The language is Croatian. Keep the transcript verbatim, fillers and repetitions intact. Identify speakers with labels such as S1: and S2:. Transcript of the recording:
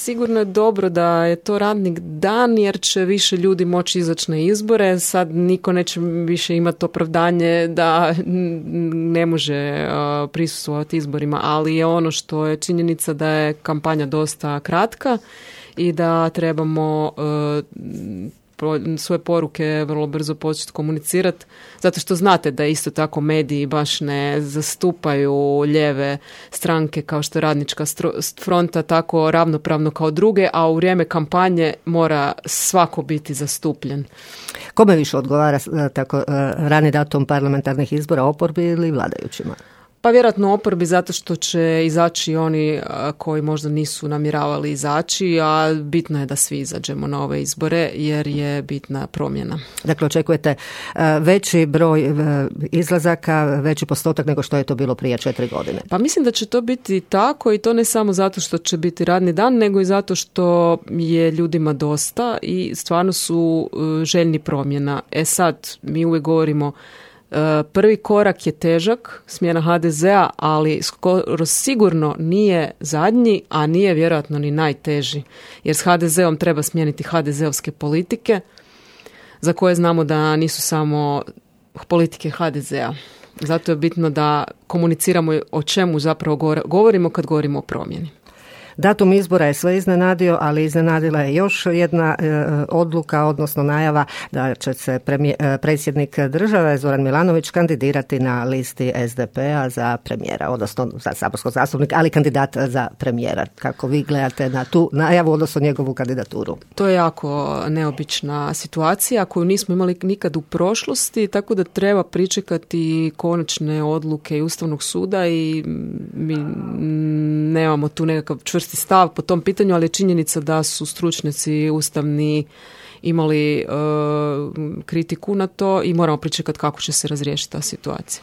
S1: sigurno je dobro da je to radnik dan jer će više ljudi moći izaći na izbore. Sad niko neće više imati opravdanje da ne može uh, prisustvovati izborima, ali je ono što je činjenica da je kampanja dosta kratka i da trebamo uh, svoje poruke vrlo brzo početi komunicirati, zato što znate da isto tako mediji baš ne zastupaju lijeve stranke kao što je Radnička fronta tako ravnopravno kao druge, a u vrijeme kampanje mora svako biti zastupljen.
S2: Kome više odgovara tako rani datum parlamentarnih izbora, oporbi ili vladajućima?
S1: Pa vjerojatno oporbi zato što će izaći oni koji možda nisu namjeravali izaći, a bitno je da svi izađemo na ove izbore jer je bitna promjena.
S2: Dakle, očekujete veći broj izlazaka, veći postotak nego što je to bilo prije četiri godine?
S1: Pa mislim da će to biti tako i to ne samo zato što će biti radni dan, nego i zato što je ljudima dosta i stvarno su željni promjena. E sad, mi uvijek govorimo prvi korak je težak, smjena ha de zea, ali skoro sigurno nije zadnji, a nije vjerojatno ni najteži. Jer s ha de zeom treba smijeniti ha de zeovske politike, za koje znamo da nisu samo politike ha de zea. Zato je bitno da komuniciramo o čemu zapravo govorimo kad govorimo o promjeni.
S2: Datum izbora je sve iznenadio, ali iznenadila je još jedna e, odluka, odnosno najava da će se premije, e, predsjednik države Zoran Milanović kandidirati na listi es de pe-a za premijera, odnosno za saborskog zastupnika, ali kandidat za premijera. Kako vi gledate na tu najavu, odnosno njegovu kandidaturu?
S1: To je jako neobična situacija koju nismo imali nikad u prošlosti, tako da treba pričekati konačne odluke i Ustavnog suda i mi nemamo tu nekakav čvrst stav po tom pitanju, ali je činjenica da su stručnjaci ustavni imali e, kritiku na to i moramo pričekati kako će se razriješiti ta situacija.